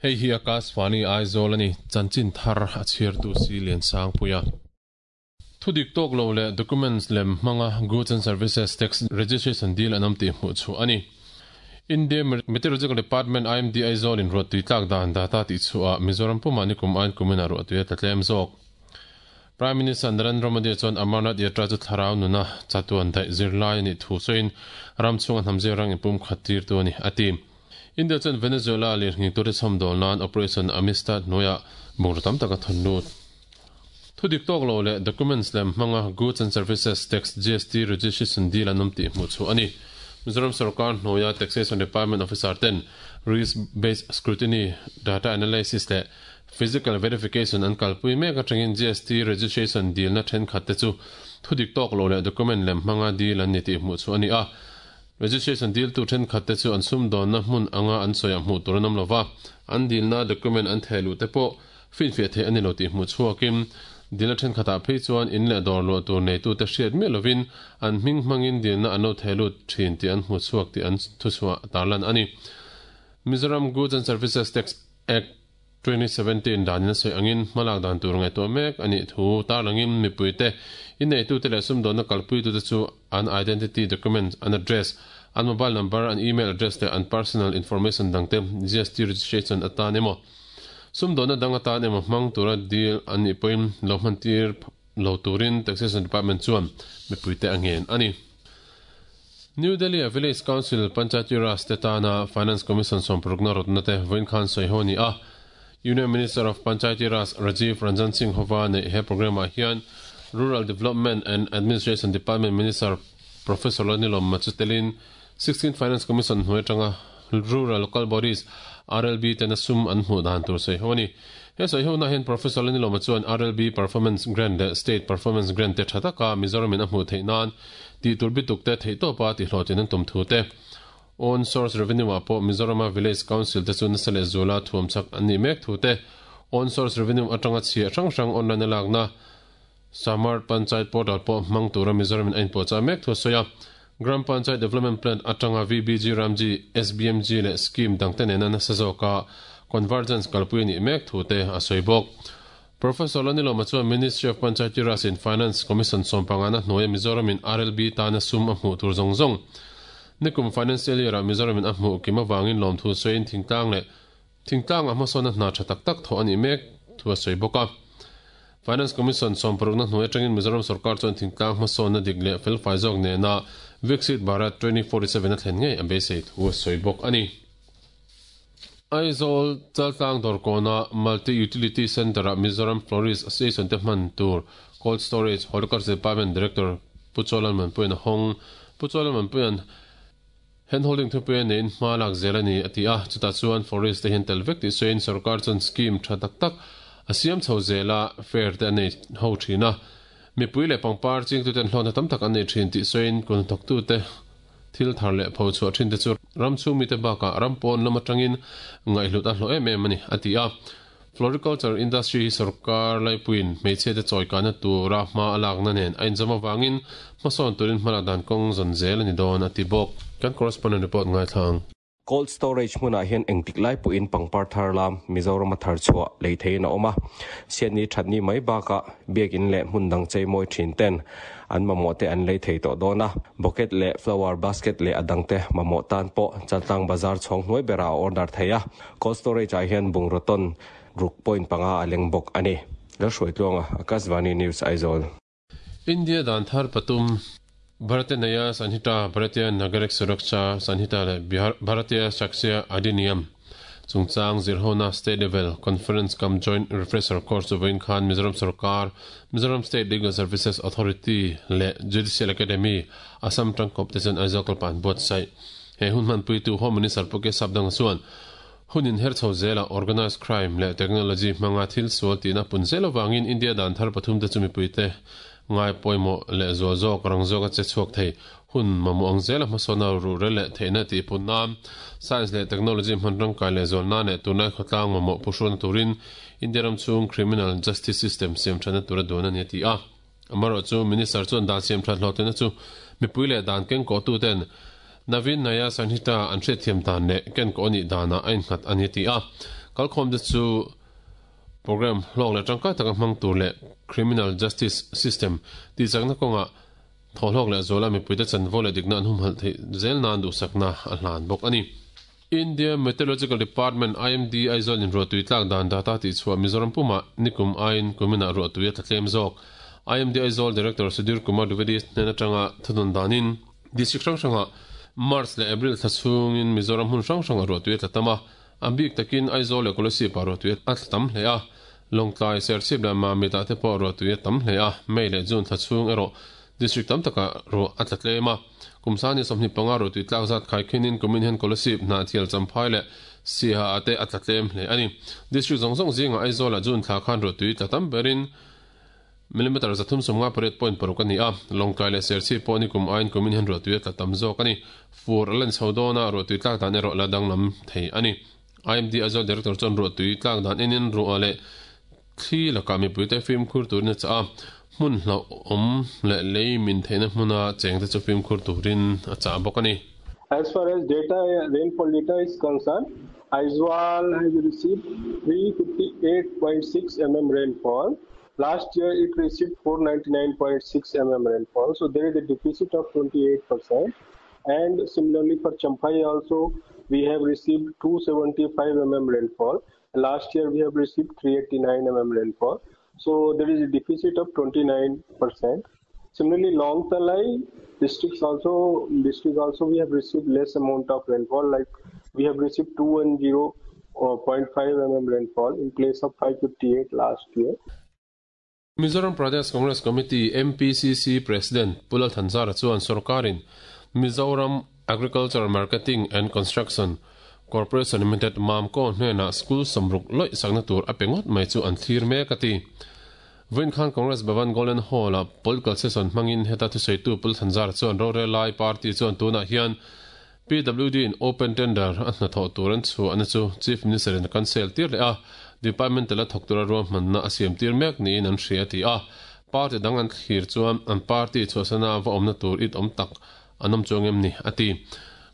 Hei hi Akashvani Aizawl a ni, chanchin thar a chhiartu si Liansangpuia. Thudik tawk lo leh documents lem hmanga Goods and Services Tax registration deal an awm tih hmuh chhuah a ni. India Meteorological Department, IMD, Aizawl in ruahtui tlak dan data tih chhuah ah Mizoram pumah nikum aiin kumin ah ruahtui a tla tlem zawk. Prime Minister Narendra Modi chuan Amarnath Yatra chu thlarau nuna chatuan daih zirlai a nih thu sawiin ram chhunga hnam zirrang inpumkhat tirtu a ni, a ti. India chuan Venezuela lirnghing tute chhawmdawl nan Operation Amistad hnuaiah bungraw tam tak a thawn lut. Thudik tawk lo leh documents lem hmanga Goods and Services Tax, GST, registration deal an awm tih hmuh chhuah a ni. Mizoram sorkar hnuaia Taxation Department officer ten Risk Based Scrutiny, Data Analysis leh Physical Verification an kalpui mek atangin GST registration dilna thenkhat te chu thudik tawk lo leh document lem hmanga deal an ni tih hmuh chhuah a ni a. Registration diltu thenkhat te chu an sumdawnna hmun anga an sawiah hmuh tur an awm lova, an dilna document an theh luh te pawh finfiah theih a ni lo tih hmuh chhuakin dilna thenkhatah phei chuan in leh dawr luah tur neitute hriat miah lovin an hming hmangin dilna an lo theh lut thin tih an hmu chhuak tih an thuchhuah tarlan a ni. Mizoram Goods and Services Tax Act, 2017 danin a sawi angin hmalak dan tur ngaihtuah mek a nih thu tarlangin mipuite, inneitute leh sumdawnna kalpuitute chu an identity document, an address, an mobile number, an email address leh an personal information dangte GST registration atan emaw sumdawnna dang atan emaw hmang tura deal an nih pawhin lo hmantir lo turin Taxation Department chuan mipuite a ngen a ni. New Delhi-a Village Council Panchayati Raj te tana Finance Commission sawmparukna rawtna te vawiin khan sawi ho a ni a. Union Minister of Panchayati Raj Rajiv Ranjan Singh hova neih he programme-ah hian Rural Development and Administration Department Minister Professor Lalnilawm Machu telin 16th Finance Commission hnuai atanga Rural Local Bodies, RLB, tena sum an hmuh dan tur sawi ho a ni. He sawi hona hian Professor Lalnilawma chuan RLB Performance Grant leh State Performance Grant te tha taka Mizoramin a hmuh theih nan tih tur bituk te theihtawpa tihhlawhtlin an tum thu te, Own Source Revenue ah pawh Mizorama Village Council te chu nasa leh zuala thuam chak an nih mek thu te, Own Source Revenue atanga chhiah hrang hrang online a lakna Samart Panchayat Portal pawh hmang tura Mizoramin a inpuahchah mek thu a sawi a. Gram Panchayat Development Plan atanga VBG Ramji, SBMG leh scheme dangte nena nasa zawka convergence kalpui a nih mek thu te a sawi bawk. Professor Lanilawma chuan Ministry of Panchayati Raj and Finance Commission sawmpangana hnuaia Mizoramin RLB tana sum a hmuh tur zawng zawng nikum financial year-ah Mizoramin a hmuh kim avangin lawmthu sawiin thingtlang leh thingtlangah hmasawnna hna tha tak tak thawh a nih mek thu a sawi bawk a. Finance Commission sawmparukna hnuai atangin Mizoram sorkar chuan thingtlang hmasawnna dik leh felfai zawk nena Viksit Bharat 2047 a thlen ngei a beisei thu a sawi bawk a ni. Aizawl Chaltlang Dawrkawna Multi Utility Centre-ah Mizoram Florist Association te hman tur Cold Storage Horticulture Department Director Pu Chawlalmanpuia'n a hawng. Pu Chawlalmanpuia'n Handholding thupui a neiin hma lak zel a ni, a ti a. Chutah chuan Florist te hian tel vek tih sawiin sorkar chuan scheme tha tak tak a siam chho zel a, fair te a nei ho thin a. Mipui leh pangpar chingtuten hlawhna tam tak an nei thin tih sawiin kuthnawktute Thil thar leh pho chhuah thin te chu ram chhung mite bakah ram pawn lam atangin ngaihhlut a hlawh em em a ni, a ti a. Floriculture industry hi sorkar laipuiin hmeichhia te chawikahna tura hma a lakna nen a inzawm avangin hmasawn turin hmalak dan kawng zawn zel a ni dawn, a ti bawk. Kan correspondent report ngaithla ang. Cold storage hmunah hian engtik lai pawhin pangpar thar lam Mizorama thar chhuah lei theihin a awm a. Siatni thatni mai bakah biakin leh hmun dang chei mawi thin ten an mamawh te an lei thei tawh dawn a. Bucket leh flower basket leh a dangte mamawh tan pawh Chaltlang bazar chhawng hnuai berah a order thei a. Cold storage ah hian bungraw tawn ruk point panga a leng bawk a ni. Lalhruaitluanga, Akashvani News, Aizawl. India dan thar pathum, Bharatiya Nyaya Sanhita, Bharatiya Nagarik Suraksha Sanhita leh Bharatiya Sakshya Adhiniyam chungchang zirhona State Level Conference cum Joint Refresher Course chu vawiin khan Mizoram Sorkar, Mizoram State Legal Services Authority leh Judicial Academy, Assam tangkawp te chuan Aizawl kalpah an buatsaih. He hun hmanpuitu Home Minister Pu K Sapdanga chuan, Hun inher chho zelah organised crime leh technology hmanga thil sual tihna pun zel avangin India dan thar pathum te chu mipuite ngai pawimawh leh zual zawk rang zawka che chhuak thei hun mamawh ang zela hmasawnna ruhrel leh theihna tih pun nan science leh technology hman rangkai leh zual nan leh tunlai khawtlang mamawh phuhruana turin India ram chhung criminal justice system siam thatna tura duan a ni a ti a. Amaherawhchu Minister chuan dan siam that hlawhtlinna chu mipui leh dan kengkawhtu ten Naveen Naya Sanhita an hriatthiam dan leh kenkawh a nih danah a innghat a ni a ti a. Kalkhawmte chu programme hlawk leh tangkai taka hmang tur leh criminal justice system tihchakna kawngah thawhhlawk leh zuala mipuite chanvo leh dikna an humhalh theih zel nan duhsakna a hlan bawk a ni. India Meteorological Department, IMD, Aizawl in ruahtui tlak dan data tihchhuah Mizoram pumah nikum aiin kuminah ruahtui a tla tlem zawk. IMD Aizawl Director Sudhir Kumar Dwivedi hnen atanga thunun danin District hrang hrangah March leh April thla chhungin Mizoram hmun hrang hrangah ruahtui a tla tam a, a bik takin Aizawl leh Kolasib-ah ruahtui a tla tam hle a, Lawngtlai, Serchhip leh Mamit-ah te pawh ruahtui a tam hle a, May leh June thla chhung erawh District tam takah ruah a tla tlem a. Kum sani 25 ruahtui tlak zat khaikhinin kumin hian Kolasib, Hnahthial, Champhai leh Siaha-ah te a tla tlem hle a ni. District zawng zawng zingah Aizawl-ah June thla khan ruahtui tla tam berin Millimeter 358.6 a ni a, Lawngtlai leh Serchhip pawh nikum aiin kumin hian ruahtui a tla tam zawk a ni. Fur a len chho dawn a, ruahtui tlak dan erawh la danglam thei a ni. IMD Aizawl Director chuan ruahtui tlak dan enin ruah leh thli lakah mipuite fimkhur turin a chah a, hmun hlauhawm leh lei min theihna hmuna chengte chu fimkhur turin a chah bawk a ni. As far as data, rainfall data is concerned, Aizawl has received 358.6 rainfall. Last year it received 499.6 rainfall. So there is a deficit of 28%. And similarly for Champhai also, we have received 275 rainfall. Last year we have received 389 rainfall. So there is a deficit of 29%. Similarly, Lawngtlai districts also, district also we have received less amount of rainfall, like we have received 210.5 rainfall in place of 558 last year. Mizoram Pradesh Congress Committee, MPCC, President Pu Lal Thanzara chuan sorkarin Mizoram Agricultural Marketing and Construction Corporation Limited, MAMCO, hnenah school sawmruk lawih sakna tur a pe ngawt mai chu an thlir mek a ti. Vawiin khan Congress Bhavan Golden Hall-a political session hmangin heta thusawitu Pu Thanzara chuan rorel lai party chuan tunah hian PWD in open tender a hnathawh tur an chhuahna chu Chief Minister in a cancel tir leh a, department tela thawk tura ruahmanna a siam tir mek niin an hria a ti a. Party dang an thlir chuan an party chhuahsana va awmna tur it awm tak an awm chuang em ni a ti.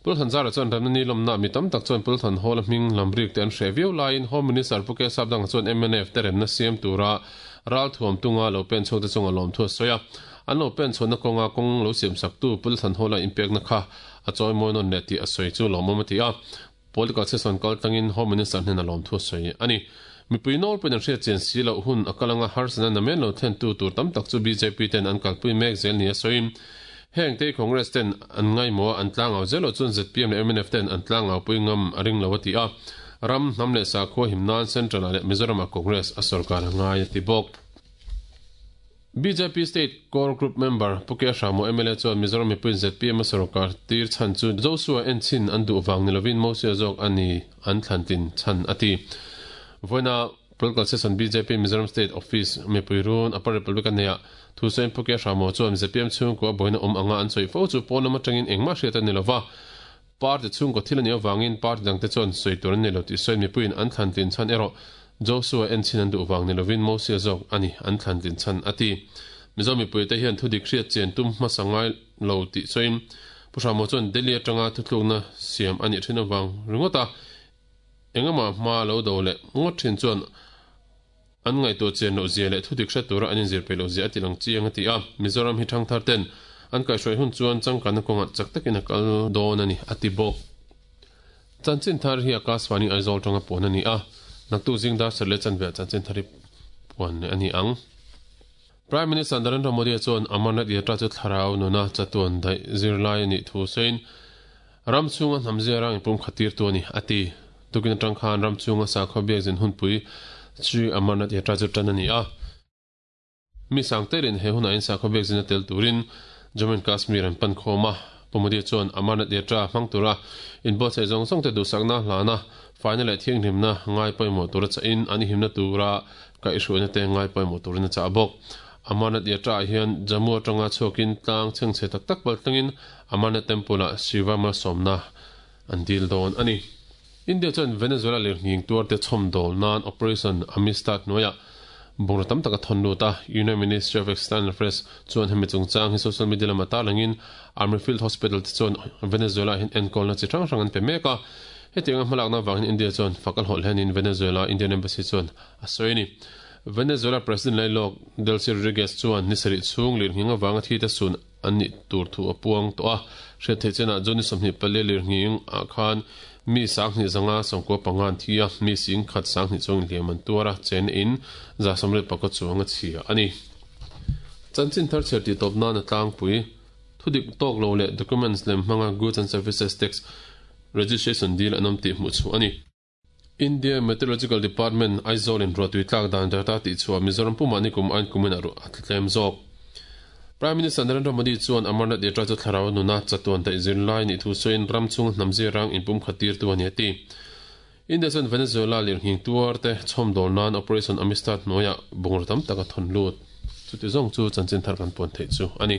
Pu Thanzara chuan remna ni lawmna mi tam tak chuan Pu Thanhawla hming lam rik te an hreh viau laiin Home Minister Pu Kesap danga chuan mnf te remna siam tura ralthuam tunga lo pen chhuak te chunga lawmthu a sawi a. An lo pen chhuahna kawnga kawng lo siam saktu Pu Thanhawla inpekna kha a chawi mawi nawn leh tih a sawi chu lawmawm a ti a. Political session kal tlangin Home Minister hnena lawmthu a sawi a ni. Mipui nawlpuiin an hriat chian si loh hun a kal anga harsatna namen lo thlentu tur tam tak chu bjp ten an kalpui mek zel nia sawiin heng te Congress ten an ngaimawh a an tlangau zel loh chuan zpm leh mnf ten an tlangaupui ngam a ring lo a ti a. Ram, hnam leh sakhua him nan Central ah leh Mizoram ah Congress a sorkar a ngai a ti bawk. Bjp State Core Group member Pu Ke Hramo mla chuan Mizoram mipuiin zpm a sorkar tir chhan chu Joshua en chhin an duh vang ni lovin Mosia zawk a ni an thlan tlin chhan a ti. Vawiina Political Session bjp Mizoram State Office mipui run Upper Republic a neihah thusawiin Pu Ke Hramo chuan zpm chhungkua buaina awm anga an sawi fo chu pawn lam atangin engmah hriat a ni lova, Party chhungkaw thil a nih avangin party dangte chuan sawi tur an nei lo tih sawiin mipuiin an thlan tlin chhan erawh Joshua en chhin an duh vang ni lovin Mosia zawk a ni an thlan tlin chhan a ti. Mizo mipuite hian thudik hriat chian tum hmasa ngai lo tih sawiin Pu Hramo chuan Delhi atanga thutlukna siam a nih thin avang ringawt a engemaw hma lo do leh ngawt thin chuan An ngaihtuah chian loh zia leh thudik hre tura an inzir peih loh zia a ti lang chiang a ti a. Mizoram hi thangthar ten an kaihhruai hun chuan changkanna kawngah chak takin a kal dawn a ni, a ti bawk. Chanchin thar hi Akashvani Aizawl tanga puan a ni a, naktuk zing dar sarh leh chanve ah chanchin thar hi puan leh a ni ang. Prime Minister Narendra Modi-a chuan Amarnath Yatra chu thlarau nuna chatuan daih zirlai a nih thu sawiin, Ram chhunga hnam ziarang inpum khat tirtu a ni, a ti. Tukin atang khan ram chhunga sakhaw biakzin hunpui Shri Amarnath Yatra chu tan a ni a. Mi sang telin he hunah in sakhaw biakzin a tel turin Jammu and Kashmir an pan khawm a. Pu Modi chuan Amarnath Yatra hmang tura inbuatsaih zawng zawng te duhsakna hlana faina leh thianghlimna ngai pawimawh tura chahin an himna tura kaihhruaina te ngai pawimawh turin a chah bawk. Amarnath Yatra ah hian Jammu atanga chhuakin tlang chhengchhe tak tak pal tlangin Amarnath Temple-ah Shiva malsawmna an dil dawn a ni. India chuan Venezuela lirnghing tuarte chhawmdawl nan Operation Amistad hnuaiah bungraw tam tak a thawn lut a. Union Ministry of External Affairs chuan hemi chungchang hi social media lama tarlangin Army Field Hospital te chuan Venezuela-ah hian enkawlna chi hrang hrang an pe mek a. Hetianga hmalakna avangin India chuan fak a hlawh hlenin Venezuela Indian Embassy chuan a sawi a ni. Venezuela President lailawk Delcy Rodriguez chuan ni sarih chhung lirnghing avanga thite sun an nih tur thu a puang tawh a. Hriat theih chenah June ni 24 lirnghing ah khan mi 2595 an thi a, mi singkhat 2000 chuang inhliam an tuar a, chen in 184 chuang a chhia a ni. Chanchin thar chhiar tih tawp nan a tlangpui. Thudik tawk lo leh documents lem hmanga Goods and Services Tax Registration dil an awm tih hmuh chhuah a ni. India Meteorological Department, Aizawl in ruahtui tlak dan data tih chhuah Mizoram pumah nikum ain kumin a ruah a tla tlem zawk. Prime Minister Narendra Modi chuan Amarnath Yatra chu thlarau nuna chatuan daih zirlai nih thu sawiin ram chhunga hnam zirang inpumkhat tirtu a ni a ti. India chuan Venezuela lirnghing tuar te chhawmdawl nan Operation Amistad hnuaiah bungraw tam tak a thawn lut. Chuti zawng chu chanchin thar kan puan theih chu a ni.